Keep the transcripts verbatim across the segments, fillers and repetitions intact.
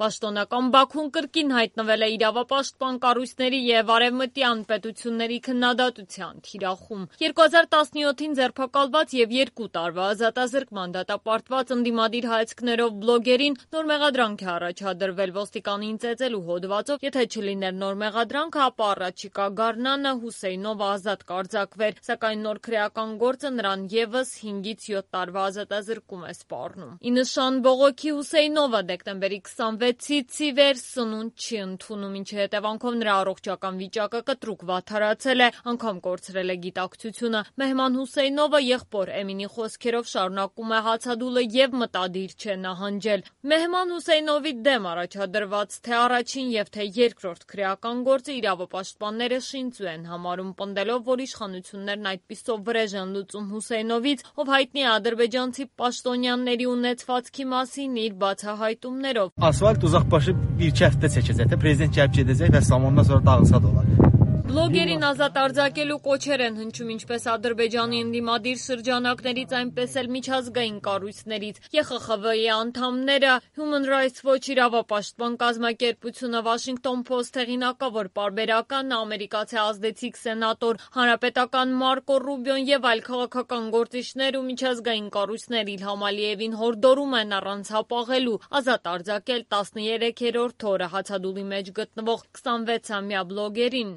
Պաշտոնական Բաքուն կրկին հայտնվել է իրավապաշտպան կառույցների և արևմտյան պետությունների քննադատության թիրախում։ երկու հազար տասնյոթին ձերբակալված և երկու տարվա ազատազրկման դատապարտված ընդդիմադիր հայացքներով բլոգերին նոր մեղադրանք է առաջադրվել ոստիկանին ծեծելու հոդվածով, եթե չլիներ նոր մեղադրանքը, ապա առաջիկա գարնանը Հուսեյնովը ազատ կարձակվեր, սակայն նոր քրեական գործը նրան ևս հինգից յոթ տարվա ազատազրկում է սպառնում։ Ի նշան բողոքի Հուսեյնովը դեկտեմբերի քսանվեցից ի վեր սնունդ չի ընդունում, ինչի հետևանքով նրա առողջական վիճակը կտրուկ վատթարացել է, անգամ կորցրել է գիտակցությունը։ Մեհման Հուսեյնովը եղբոր Էմինի խոսքերով շարունակում է հացադուլը և մտադիր չէ նահանջել։ Մեհման Հուսեյնովի դեմ առաջադրված թե առաջին և թե երկրորդ քրեական գործը իրավապաշտպանները շինծու են համարում, պնդելով, որ իշխանություններն այդպիսով վրեժ են լուծում Հուսեյնովից, ով հայտնի է ադրբեջանցի պաշտոնյաների ունեցվածքի մասին իր բացահայտումներով։ Ասfalt uzaqbaşı bir iki həftə çəkəcək də prezident gəlib gedəcək və ondan sonra dağılsa da olar։ Բլոգերին ազատ արձակելու կոչեր են հնչում ինչպես Ադրբեջանի ընդդիմադիր շրջանակներից, այնպես էլ միջազգային կառույցներից։ Ե Խ Խ V-ի անդամները, Human Rights Watch իրավապաշտպան կազմակերպությունը, Washington Post հեղինակավոր պարբերական, ամերիկացի ազդեցիկ սենատոր, հանրապետական Մարկո Ռուբիոն և այլ քաղաքական գործիչներ ու միջազգային կառույցներ Իլհամ Ալիևին հորդորում են առանց հապաղելու ազատ արձակել տասներեքերորդ օրը հացադուլի մեջ գտնվող քսանվեցամյա բլոգերին։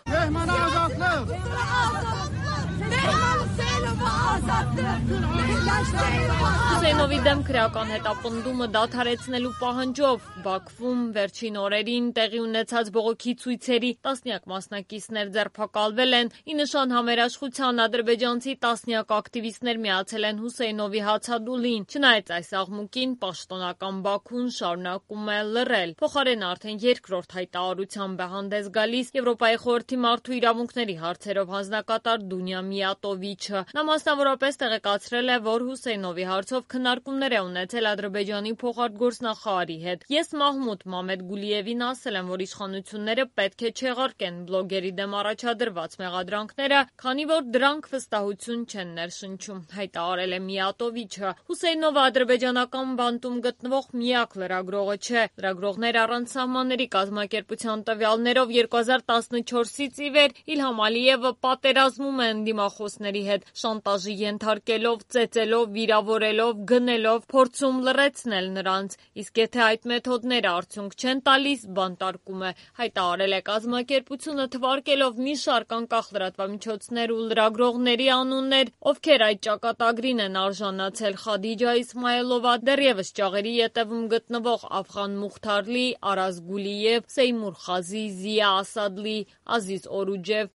Հուսեյնովի դեմ քրեական հետապնդումը դադարեցնելու պահանջով Բաքվում վերջին օրերին տեղի ունեցած բողոքի ցույցերի տասնյակ մասնակիցներ ձերբակալվել են։ Ի նշան համերաշխության ադրբեջանցի տասնյակ ակտիվիստներ միացել են Հուսեյնովի հացադուլին։ Չնայած այս աղմուկին, պաշտոնական Բաքուն շարունակում է լռել։ Փոխարենը արդեն երկրորդ հայտարարությամբ է հանդես գալիս Եվրոպայի խորհրդի մարդու իրավունքների հարցերով հանձնակատար Դունյա Միատովիչը։ Նա մասնավորապես տեղեկացրել է, որ Հուսեյնովի հարցով քննարկումներ է ունեցել Ադրբեջանի փոխարտգործնախարարի հետ։ Ես Մահմուդ Մամեդգուլիևին ասել եմ, որ իշխանությունները պետք է չեղարկեն բլոգերի դեմ առաջադրված մեղադրանքները, քանի որ դրանք վստահություն չեն ներշնչում, հայտարարել է Միատովիչը։ Հուսեյնովը ադրբեջանական բանտում գտնվող միակ լրագրողը չէ։ Լրագրողներ առանց սահմանների կազմակերպության տվյալներով երկու հազար տասնչորսից ի վեր Իլհամ Ալիևը պատերազմում է ընդդիմախոսների հետ, շանտաժի ենթարկելով, ծեծելով, վիրավորելով, գնելով, փորձում լռեցնել նրանց, իսկ եթե այդ մեթոդները արդյունք չեն տալիս, բանտարկում է, հայտարարել է կազմակերպությունը, թվարկելով մի շարք անկախ լրատվամիջոցներ ու լրագրողների անուններ, ովքեր այդ ճակատագրին են արժանացել՝ Խադիջա Իսմայելովա, դեռևս ճաղերի ետևում գտնվող Աֆղան Մուխթարլի, Արազ Գուլիև, Սեյմուր Խազի, Զիա Ասադլի, Ազիզ Օրուջև,